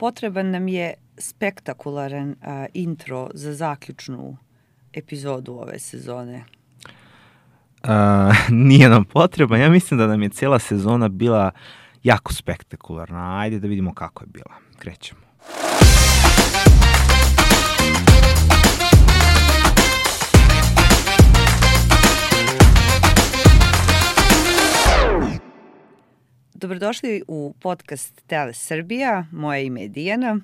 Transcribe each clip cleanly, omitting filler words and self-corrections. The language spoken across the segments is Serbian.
potreban nam je spektakularan intro za zaključnu epizodu ove sezone. Nije nam potreban. Ja mislim da nam je cijela sezona bila jako spektakularna. Ajde da vidimo kako je bila. Krećemo. Dobrodošli u podcast Tele Srbija. Moje ime je Dijana.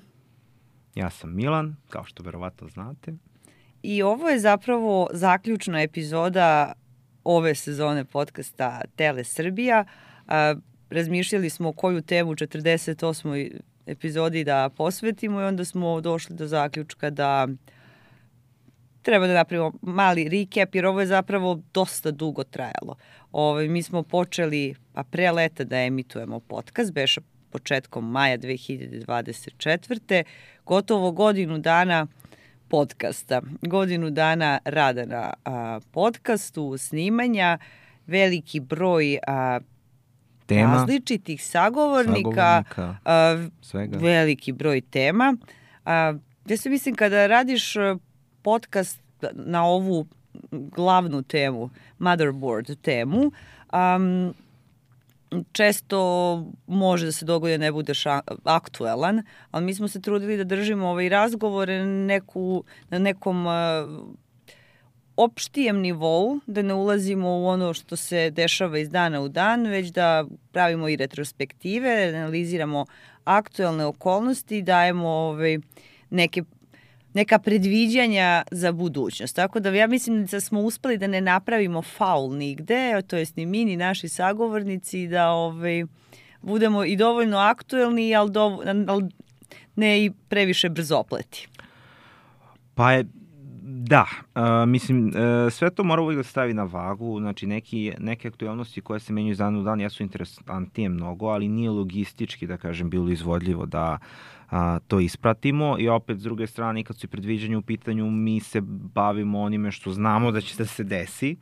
Ja sam Milan, kao što verovatno znate. I ovo je zapravo zaključna epizoda ove sezone podcasta Tele Srbija. Razmišljali smo koju temu 48. epizodi da posvetimo i onda smo došli do zaključka da treba da napravimo mali recap, jer ovo je zapravo dosta dugo trajalo. Mi smo počeli pre leta da emitujemo podcast, beše početkom maja 2024. Gotovo godinu dana podcasta, godinu dana rada na podcastu, snimanja, veliki broj tema, različitih sagovornika, svega. Veliki broj tema. Ja se mislim kada radiš podcast na ovu glavnu temu, motherboard temu, često može da se dogodi da ne budeš aktuelan, ali mi smo se trudili da držimo ovaj razgovor na nekom opštijem nivou, da ne ulazimo u ono što se dešava iz dana u dan, već da pravimo i retrospektive, analiziramo aktuelne okolnosti, dajemo neka predviđanja za budućnost. Tako da ja mislim da smo uspeli da ne napravimo faul nigde, to jest ni mi, ni naši sagovornici, da budemo i dovoljno aktuelni, ali ne i previše brzopleti. Pa je, da, mislim, sve to mora uvijek da stavi na vagu, znači neke aktualnosti koje se menjaju iz dana u dan jesu interesantnije mnogo, ali nije logistički, da kažem, bilo izvodljivo da to ispratimo i opet s druge strane kad su i predviđanja u pitanju mi se bavimo onime što znamo da će da se desi.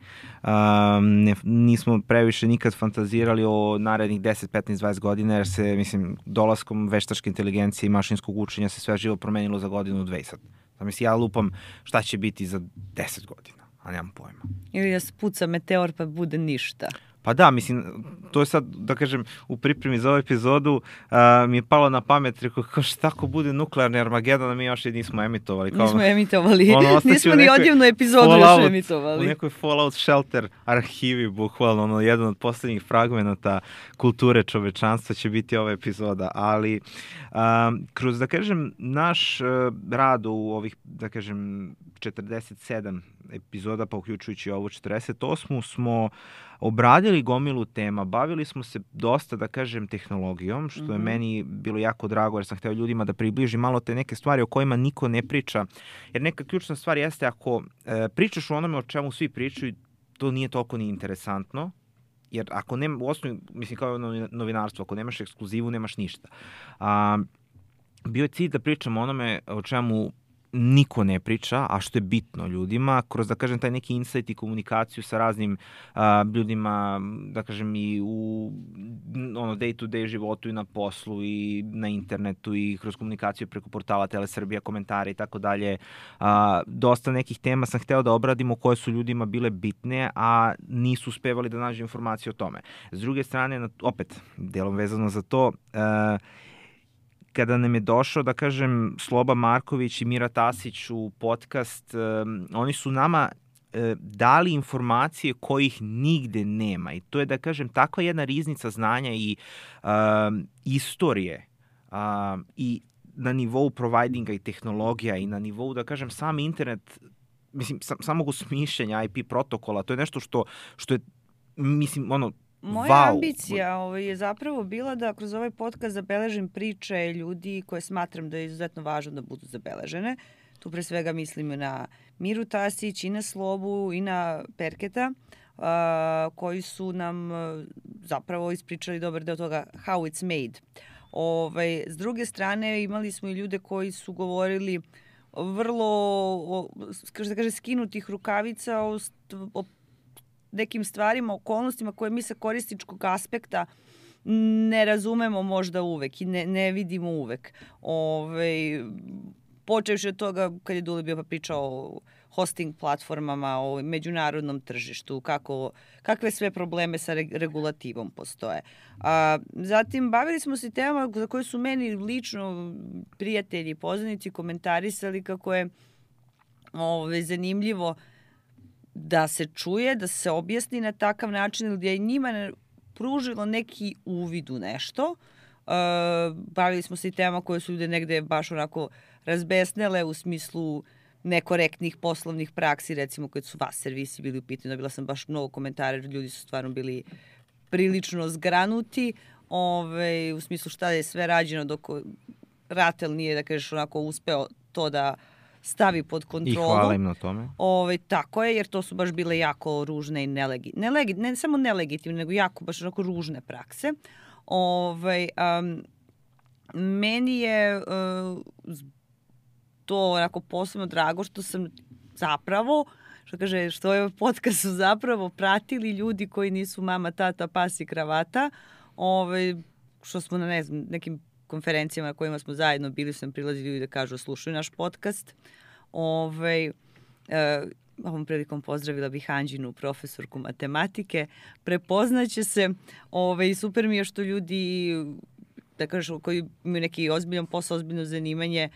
Nismo previše nikad fantazirali o narednih 10, 15, 20 godina jer se, mislim, dolaskom veštačke inteligencije i mašinskog učenja se sve živo promenilo za godinu, dve sad. Mislim, ja lupam šta će biti za 10 godina, a nemam pojma. Ili da se puca meteor pa bude ništa. Pa da, mislim, to je sad, da kažem, u pripremi za ovu epizodu mi je palo na pamet, rekao, kao šta ako bude nuklearni Armagedon, a mi još i nismo emitovali. Nismo emitovali, nismo ni odjevnu epizodu još emitovali. U nekoj Fallout Shelter arhivi, bukvalno, jedan od poslednjih fragmenata kulture čovečanstva će biti ova epizoda, ali kroz, da kažem, naš rad u ovih, da kažem, 47 epizoda, pa uključujući ovu 48. smo obradili gomilu tema, bavili smo se dosta, da kažem, tehnologijom, što je meni bilo jako drago jer sam hteo ljudima da približim malo te neke stvari o kojima niko ne priča. Jer neka ključna stvar jeste ako pričaš o onome o čemu svi pričaju, to nije toliko ni interesantno, jer ako nema, u osnovi, mislim kao novinarstvo, ako nemaš ekskluzivu, nemaš ništa. Bio je cilj da pričamo o onome o čemu niko ne priča, a što je bitno ljudima, kroz, da kažem, taj neki insight i komunikaciju sa raznim ljudima, da kažem, i u day-to-day životu i na poslu i na internetu i kroz komunikaciju preko portala Tele Srbija, komentare i tako dalje. Dosta nekih tema sam hteo da obradimo koje su ljudima bile bitne, a nisu uspevali da nađu informacije o tome. S druge strane, opet, delom vezano za to, kada nam je došao, da kažem, Sloba Marković i Mira Tasić u podcast, oni su nama dali informacije kojih nigde nema. I to je, da kažem, takva jedna riznica znanja i istorije i na nivou providinga i tehnologija i na nivou, da kažem, sam internet, mislim, samog osmišljenja IP protokola, to je nešto što je, mislim, Moja ambicija je zapravo bila da kroz ovaj podcast zabeležim priče ljudi koje smatram da je izuzetno važno da budu zabeležene. Tu pre svega mislim na Miru Tasić i na Slobu i na Perketa, koji su nam zapravo ispričali dobar deo toga how it's made. S druge strane imali smo i ljude koji su govorili vrlo, da kaže, skinutih rukavica o nekim stvarima, okolnostima koje mi sa korisničkog aspekta ne razumemo možda uvek i ne vidimo uvek. Počevši od toga kad je Dule bio pa pričao o hosting platformama, o međunarodnom tržištu, kakve sve probleme sa regulativom postoje. Zatim, bavili smo se temama za koje su meni lično prijatelji i poznanici komentarisali kako je zanimljivo da se čuje, da se objasni na takav način, gdje je njima pružilo neki uvid u nešto. Bavili smo se i tema koje su ljude negde baš onako razbesnele u smislu nekorektnih poslovnih praksi, recimo kad su vas servisi bili u pitanju. Dobila sam baš mnogo komentara, ljudi su stvarno bili prilično zgranuti, u smislu šta je sve rađeno dok RATEL nije, da kažeš, onako uspeo to da stavi pod kontrolu. I hvala im na tome. Tako je, jer to su baš bile jako ružne i ne samo nelegitimne, nego jako baš onako ružne prakse. Meni je to onako posebno drago što sam zapravo, što je podcast su zapravo pratili ljudi koji nisu mama, tata, pas i kravata, što smo na nekim konferencijama na kojima smo zajedno bili, sam prilazili ljudi da kažu slušaju naš podcast. Ovom prilikom pozdravila bih Anđinu, profesorku matematike. Prepoznaće se. Super mi je što ljudi, da kažu, koji imaju neki ozbiljan posao, ozbiljno zanimanje,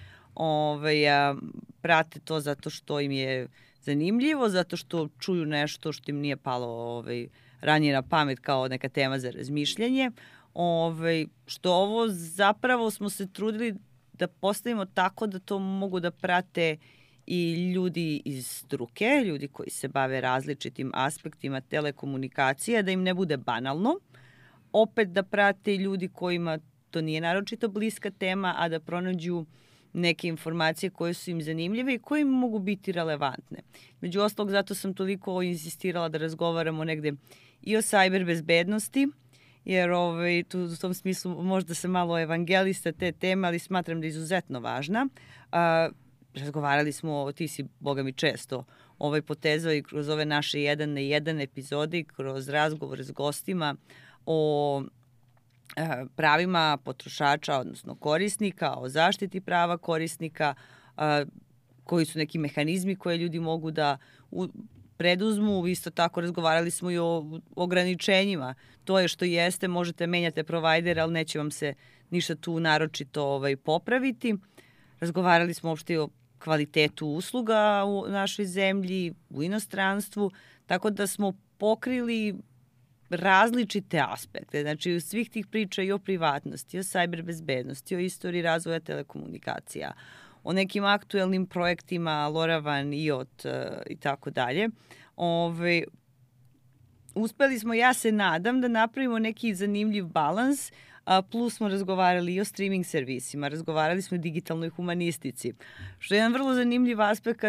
prate to zato što im je zanimljivo, zato što čuju nešto što im nije palo ranije na pamet kao neka tema za razmišljanje. Što ovo zapravo smo se trudili da postavimo tako da to mogu da prate i ljudi iz struke, ljudi koji se bave različitim aspektima telekomunikacija, da im ne bude banalno. Opet da prate i ljudi kojima to nije naročito bliska tema, a da pronađu neke informacije koje su im zanimljive i koje im mogu biti relevantne. Među ostalog, zato sam toliko insistirala da razgovaramo negde i o cyber bezbednosti, jer tu u tom smislu možda se malo evangelista te teme, ali smatram da je izuzetno važna. Razgovarali smo, ti si, boga mi, često potezao i kroz ove naše 1 na 1 epizode i kroz razgovor s gostima o pravima potrošača, odnosno korisnika, o zaštiti prava korisnika, koji su neki mehanizmi koje ljudi mogu da preduzmu. Isto tako razgovarali smo i o ograničenjima. To je što jeste, možete menjati provider, ali neće vam se ništa tu naročito popraviti. Razgovarali smo uopšte i o kvalitetu usluga u našoj zemlji, u inostranstvu, tako da smo pokrili različite aspekte. Znači, svih tih priča i o privatnosti, o cyber bezbednosti, o istoriji razvoja telekomunikacija, o nekim aktuelnim projektima LoRaWAN, IoT i tako dalje. Uspeli smo, ja se nadam, da napravimo neki zanimljiv balans, plus smo razgovarali i o streaming servisima, razgovarali smo o digitalnoj humanistici, što je jedan vrlo zanimljiv aspekt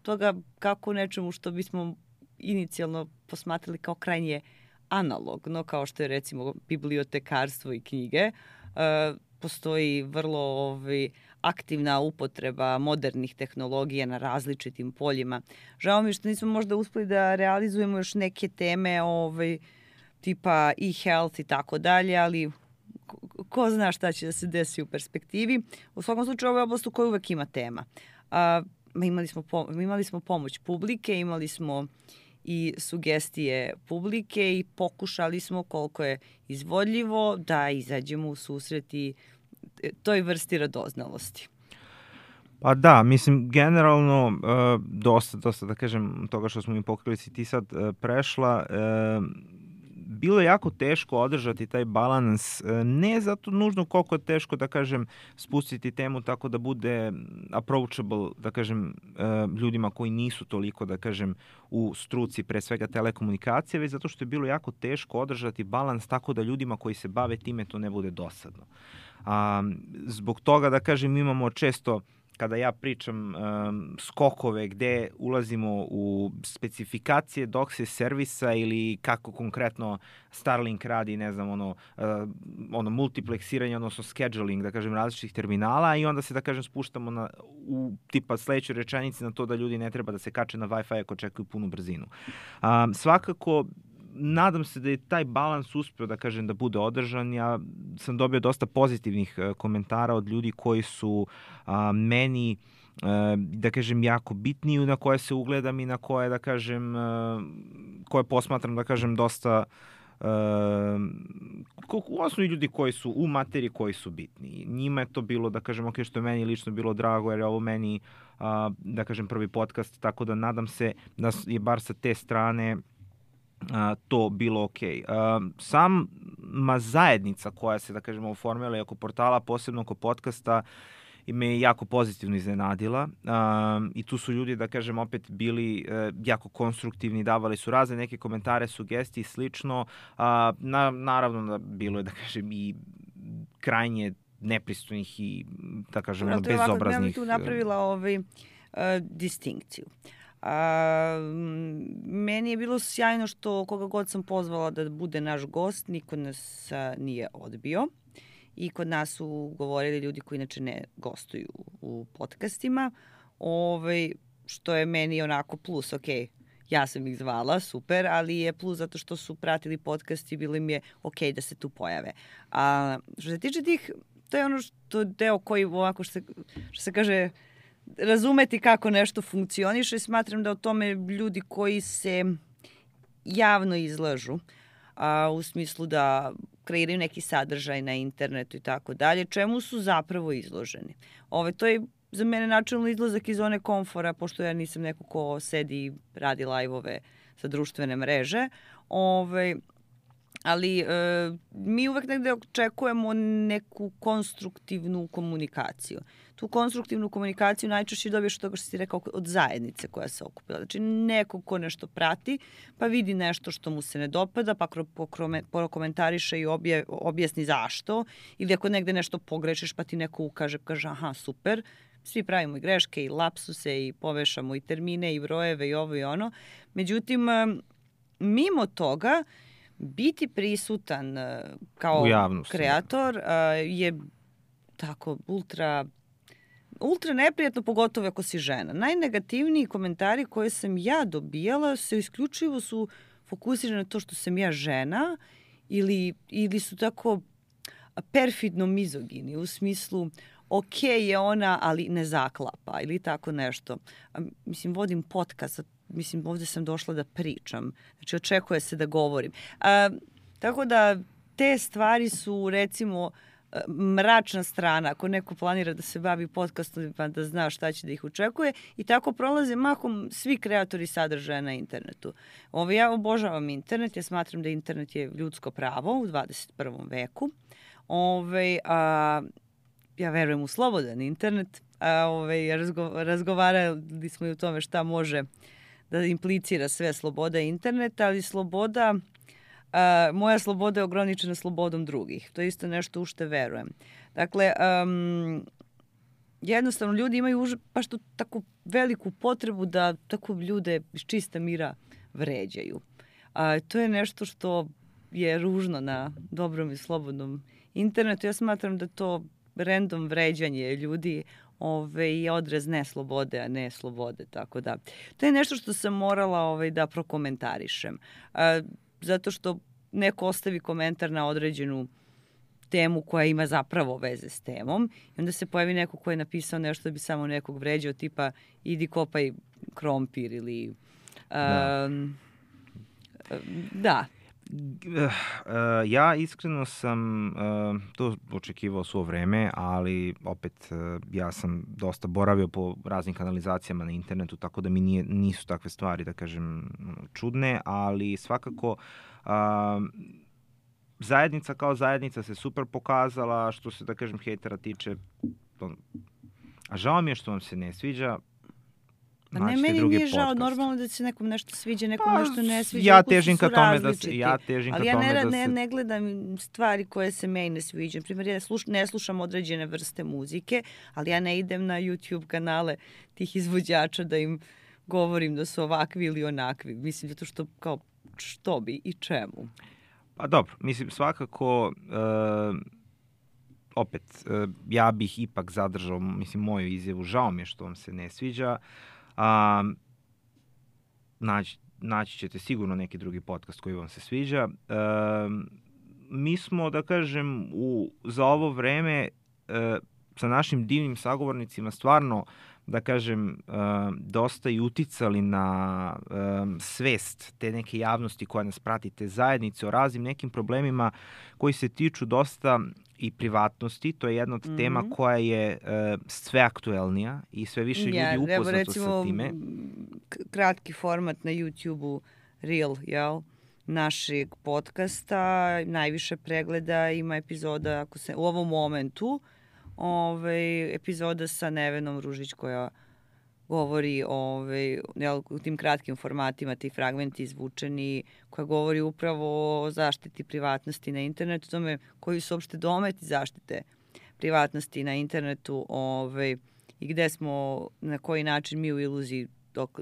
toga kako nečemu što bismo inicijalno posmatrali kao krajnje analogno, kao što je recimo bibliotekarstvo i knjige, postoji vrlo aktivna upotreba modernih tehnologija na različitim poljima. Žao mi što nismo možda uspeli da realizujemo još neke teme tipa e-health i tako dalje, ali ko zna šta će da se desi u perspektivi. U svakom slučaju ovo je oblast u kojoj uvek ima tema. Imali smo pomoć publike, imali smo i sugestije publike i pokušali smo koliko je izvodljivo da izađemo u susret i toj vrsti radoznalosti. Pa da, mislim, generalno dosta, da kažem, toga što smo mi pokrili si ti sad prešla, bilo je jako teško održati taj balans, ne zato nužno koliko je teško, da kažem, spustiti temu tako da bude approachable, da kažem, ljudima koji nisu toliko, da kažem, u struci, pre svega telekomunikacije, već zato što je bilo jako teško održati balans tako da ljudima koji se bave time to ne bude dosadno. Zbog toga, da kažem, imamo često, kada ja pričam, skokove gde ulazimo u specifikacije DOCSIS servisa ili kako konkretno Starlink radi, ne znam, ono multipleksiranje, odnosno scheduling, da kažem, različitih terminala, i onda se, da kažem, spuštamo u tipa sledećoj rečenici na to da ljudi ne treba da se kače na Wi-Fi ako čekaju punu brzinu. Svakako, nadam se da je taj balans uspeo, da kažem, da bude održan. Ja sam dobio dosta pozitivnih komentara od ljudi koji su meni, da kažem, jako bitni, na koje se ugledam i na koje, da kažem, koje posmatram, da kažem, dosta u osnovi ljudi koji su u materiji, koji su bitni. Njima je to bilo, da kažem, ok, što je meni lično bilo drago, jer je ovo meni, da kažem, prvi podcast, tako da nadam se da je bar sa te strane to bilo ok. Sama zajednica koja se, da kažemo, oformila oko portala, posebno oko podcasta, i me je jako pozitivno iznenadila i tu su ljudi, da kažem, opet bili jako konstruktivni, davali su razne neke komentare, sugestije i slično. Naravno da bilo je, da kažem, i krajnje nepristojnih i, da kažem, bezobraznih. Ja bih tu napravila distinkciju. Meni je bilo sjajno što koga god sam pozvala da bude naš gost, niko nas nije odbio. I kod nas su govorili ljudi koji inače ne gostuju u podcastima, što je meni onako plus, ok, ja sam ih zvala, super, ali je plus zato što su pratili podcast i bilo im je ok da se tu pojave. Što se tiče tih, to je ono što je deo koji ovako što se kaže razumeti kako nešto funkcioniše. Smatram da o tome ljudi koji se javno izlažu, u smislu da kreiraju neki sadržaj na internetu i tako dalje, čemu su zapravo izloženi. To je za mene načelno izlazak iz zone komfora, pošto ja nisam neko ko sedi i radi live-ove sa društvene mreže, ali mi uvek negde očekujemo neku konstruktivnu komunikaciju. Tu konstruktivnu komunikaciju najčešće dobiješ od toga što si rekao od zajednice koja se okupila. Znači neko ko nešto prati, pa vidi nešto što mu se ne dopada, pa prokomentariše i objasni zašto. Ili ako negde nešto pogrešiš, pa ti neko ukaže, kaže aha, super, svi pravimo i greške i lapsuse i povešamo i termine i brojeve i ovo i ono. Međutim, mimo toga, biti prisutan kao kreator je tako ultra neprijatno, pogotovo ako si žena. Najnegativniji komentari koje sam ja dobijala se isključivo su fokusirani na to što sam ja žena ili su tako perfidno mizogini u smislu ok je ona, ali ne zaklapa ili tako nešto. Mislim, vodim podcast, mislim, ovde sam došla da pričam. Znači, očekuje se da govorim. Tako da, te stvari su, recimo, mračna strana. Ako neko planira da se bavi podcastom, pa da zna šta će da ih očekuje. I tako prolaze mahom svi kreatori sadržaja na internetu. Ja obožavam internet. Ja smatram da internet je ljudsko pravo u 21. veku. Ja verujem u slobodan internet. Razgovarali smo i o tome šta može da implicira sve sloboda interneta, ali moja sloboda je ograničena slobodom drugih. To je isto nešto u što verujem. Dakle, jednostavno ljudi imaju baš tu tako veliku potrebu da tako ljude iz čista mira vređaju. To je nešto što je ružno na dobrom i slobodnom internetu. Ja smatram da to random vređanje ljudi je odraz neslobode, a ne slobode, tako da. To je nešto što sam morala da prokomentarišem. Zato što neko ostavi komentar na određenu temu koja ima zapravo veze s temom i onda se pojavi neko ko je napisao nešto da bi samo nekog vređao, tipa idi kopaj krompir ili da. Ja iskreno sam to očekivao svo vreme, ali opet ja sam dosta boravio po raznim kanalizacijama na internetu, tako da mi nisu takve stvari, da kažem, čudne, ali svakako zajednica kao zajednica se super pokazala, što se, da kažem, hejtera tiče. A žao mi je što vam se ne sviđa. Ne, meni nije žao, normalno da se nekom nešto sviđa, nekom nešto ne sviđa. Ja težim ka tome da se... Ali ja ne gledam stvari koje se meni ne sviđa. Primjer, ja ne slušam određene vrste muzike, ali ja ne idem na YouTube kanale tih izvođača da im govorim da su ovakvi ili onakvi. Mislim, zato što kao što bi i čemu. Pa dobro, mislim, svakako... opet, ja bih ipak zadržao, mislim, moju izjavu. Žao mi je što vam se ne sviđa. naći ćete sigurno neki drugi podcast koji vam se sviđa. Mi smo, da kažem, za ovo vreme sa našim divnim sagovornicima stvarno, da kažem, dosta i uticali na svest te neke javnosti koja nas prati, te zajednice o raznim nekim problemima koji se tiču dosta i privatnosti. To je jedna od tema koja je sve aktuelnija i sve više ljudi upoznato sa time. Kratki format na YouTube-u, Reel, jel? Našeg podcasta, najviše pregleda ima epizoda, ako se u ovom momentu, epizoda sa Nevenom Ružić koja govori u tim kratkim formatima, ti fragmenti izvučeni, koja govori upravo o zaštiti privatnosti na internetu, tome koji su uopšte dometi zaštite privatnosti na internetu i gde smo, na koji način mi u iluziji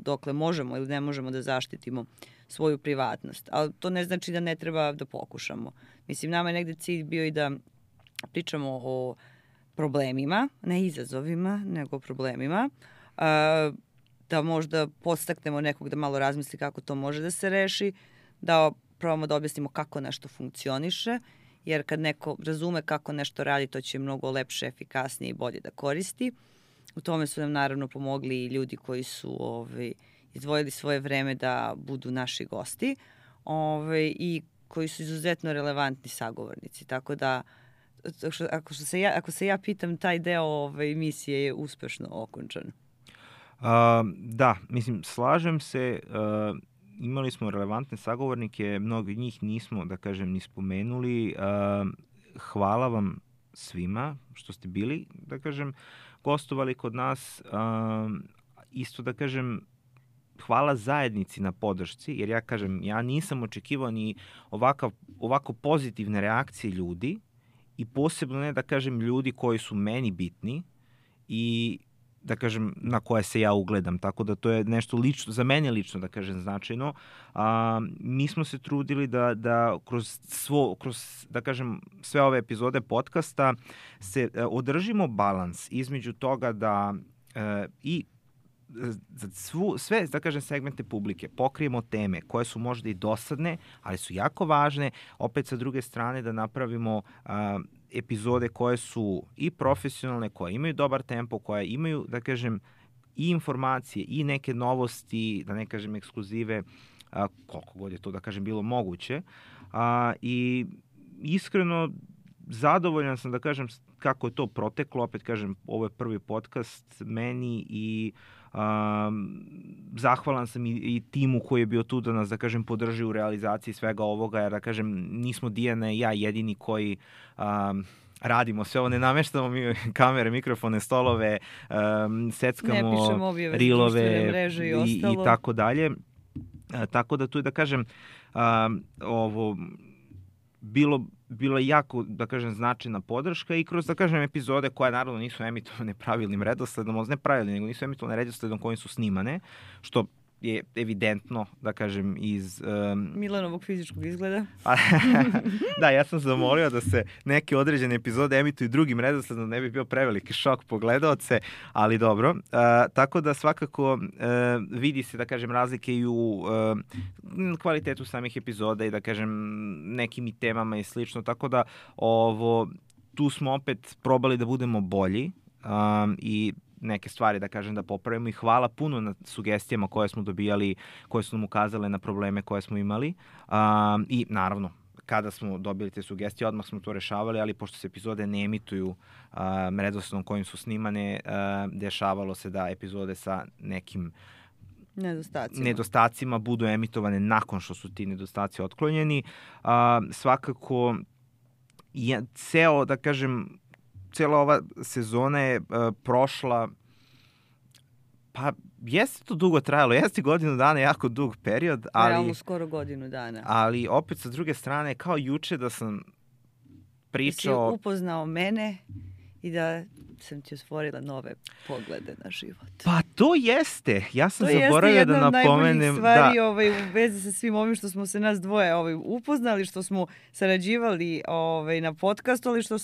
dokle možemo ili ne možemo da zaštitimo svoju privatnost. Ali to ne znači da ne treba da pokušamo. Mislim, nama je negde cilj bio i da pričamo o problemima, ne izazovima, nego problemima, da možda podstaknemo nekog da malo razmisli kako to može da se reši, da probamo da objasnimo kako nešto funkcioniše, jer kad neko razume kako nešto radi, to će mnogo lepše, efikasnije i bolje da koristi. U tome su nam naravno pomogli i ljudi koji su izdvojili svoje vreme da budu naši gosti i koji su izuzetno relevantni sagovornici. Tako da, ako se ja pitam, taj deo emisije je uspešno okončan. Da, mislim, slažem se. Imali smo relevantne sagovornike, mnogi njih nismo, da kažem, ni spomenuli. Hvala vam svima što ste bili, da kažem, gostovali kod nas. Isto, da kažem, hvala zajednici na podršci, jer ja nisam očekivao ni ovako pozitivne reakcije ljudi i posebno ne, da kažem, ljudi koji su meni bitni i, da kažem, na koje se ja ugledam. Tako da to je nešto lično, za mene lično, da kažem, značajno. Mi smo se trudili da kroz da kažem, sve ove epizode podcasta se održimo balans između toga da i za sve, da kažem, segmente publike pokrijemo teme koje su možda i dosadne, ali su jako važne, opet sa druge strane da napravimo epizode koje su i profesionalne, koje imaju dobar tempo, koje imaju, da kažem, i informacije i neke novosti, da ne kažem ekskluzive, koliko god je to, da kažem, bilo moguće. I iskreno zadovoljan sam, da kažem, kako je to proteklo. Opet kažem, ovo je prvi podcast meni i zahvalan sam i timu koji je bio tu da nas, da kažem, podrži u realizaciji svega ovoga, jer, da kažem, nismo Dijana i ja jedini koji radimo sve ovo, ne nameštamo mi kamere, mikrofone, stolove, seckamo rilove i tako dalje. Tako da tu je, da kažem, ovo bilo je jako, da kažem, značajna podrška i kroz, da kažem, epizode koje naravno nisu emitovane pravilnim redosledom, ne pravilnim, nego nisu emitovane redosledom kojim su snimane, što je evidentno, da kažem, iz Milanovog fizičkog izgleda. Da, ja sam zamolio da se neke određene epizode emituju drugim redosledom, ne bi bio preveliki šok po gledaoce, ali dobro. Tako da svakako vidi se, da kažem, razlike i u kvalitetu samih epizoda i, da kažem, nekim i temama i slično, tako da tu smo opet probali da budemo bolji i neke stvari, da kažem, da popravimo i hvala puno na sugestijama koje smo dobijali, koje su nam ukazale na probleme koje smo imali i naravno kada smo dobili te sugestije odmah smo to rešavali, ali pošto se epizode ne emituju redosledom kojim su snimane, dešavalo se da epizode sa nekim nedostacima budu emitovane nakon što su ti nedostaci otklonjeni. Svakako ceo, da kažem, cijela ova sezona je prošla, pa jeste to dugo trajalo, jeste godinu dana, jako dug period, ali realno skoro godinu dana. Ali opet sa druge strane, kao juče da sam pričao... Da si upoznao mene i da sam ti otvorila nove poglede na život. Pa to jeste. Ja sam zaboravio da napomenem... To jeste jedna od najboljih stvari u vezi sa svim ovim što smo se nas dvoje upoznali, što smo sarađivali na podcastu, ali što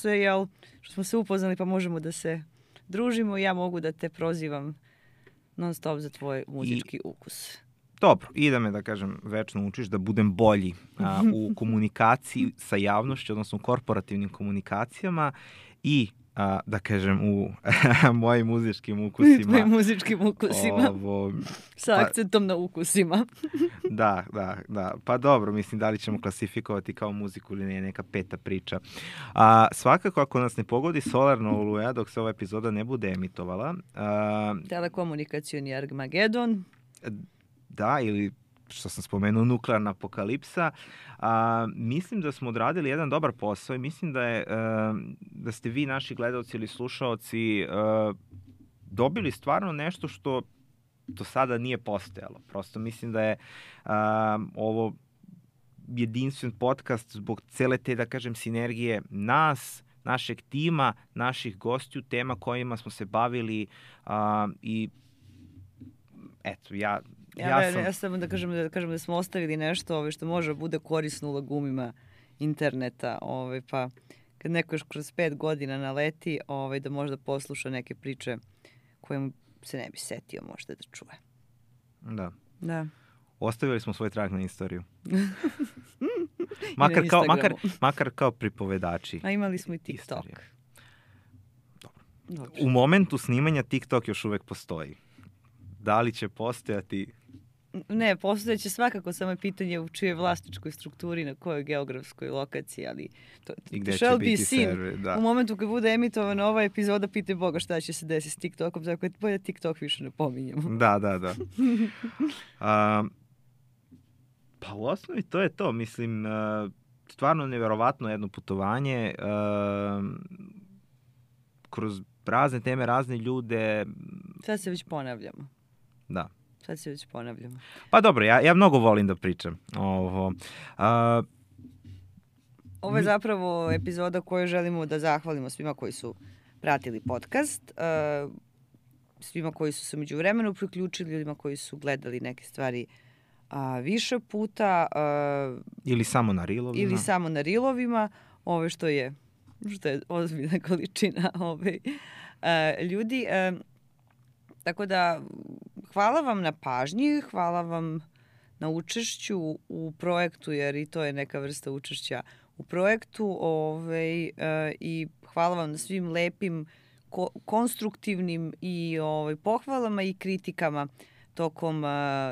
smo se upoznali pa možemo da se družimo i ja mogu da te prozivam non stop za tvoj muzički ukus. dobro, i da me, da kažem, večno učiš da budem bolji u komunikaciji sa javnošću, odnosno u korporativnim komunikacijama i da kažem u mojim muzičkim ukusima. Tvojim muzičkim ukusima. Sa akcentom na ukusima. Da. Pa dobro, mislim, da li ćemo klasifikovati kao muziku ili ne, neka peta priča. Svakako, ako nas ne pogodi solarna oluja dok se ova epizoda ne bude emitovala. Telekomunikacioni Armagedon. Da, ili što sam spomenuo, nuklearna apokalipsa. Mislim da smo odradili jedan dobar posao i mislim da ste vi, naši gledalci ili slušaoci, dobili stvarno nešto što do sada nije postojalo. Prosto mislim da je ovo jedinstven podcast zbog cele te, da kažem, sinergije nas, našeg tima, naših gostiju, tema kojima smo se bavili i eto, ja samo da kažem da smo ostavili nešto što može bude korisno u lagumima interneta, pa kad neko još kroz 5 godina naleti, da možda posluša neke priče koje mu se ne bi setio možda da čuje. Da. Ostavili smo svoj trag na istoriju. makar kao pripovedači. A imali smo i TikTok. Dobro. U momentu snimanja TikTok još uvek postoji. Da li će postojati? Ne, postojeće svakako, samo je pitanje u čijoj vlasničkoj strukturi, na kojoj geografskoj lokaciji, ali i gde će biti server, da. U momentu kad bude emitovana ova epizoda, pitaj Boga šta će se desiti s TikTokom, tako je bolje TikTok više ne pominjemo. Da. Pa u osnovi to je to, mislim, stvarno neverovatno jedno putovanje, kroz razne teme, razne ljude. Sad se već ponavljamo. Da. Pa dobro, ja mnogo volim da pričam. Ovo je zapravo epizoda koju želimo da zahvalimo svima koji su pratili podcast, svima koji su se međuvremenu priključili, ljudima koji su gledali neke stvari više puta. Ili samo na rilovima. Što je ozbiljna količina ljudi. Tako da, hvala vam na pažnji, hvala vam na učešću u projektu, jer i to je neka vrsta učešća u projektu. I hvala vam na svim lepim, konstruktivnim i pohvalama i kritikama tokom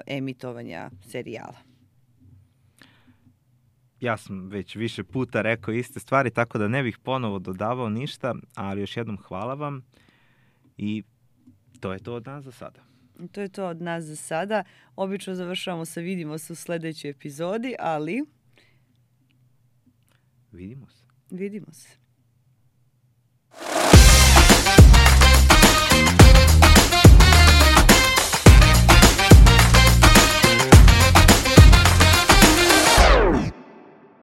emitovanja serijala. Ja sam već više puta rekao iste stvari, tako da ne bih ponovo dodavao ništa, ali još jednom hvala vam i to je to od nas za sada. Obično završavamo sa vidimo se u sledećoj epizodi, ali vidimo se.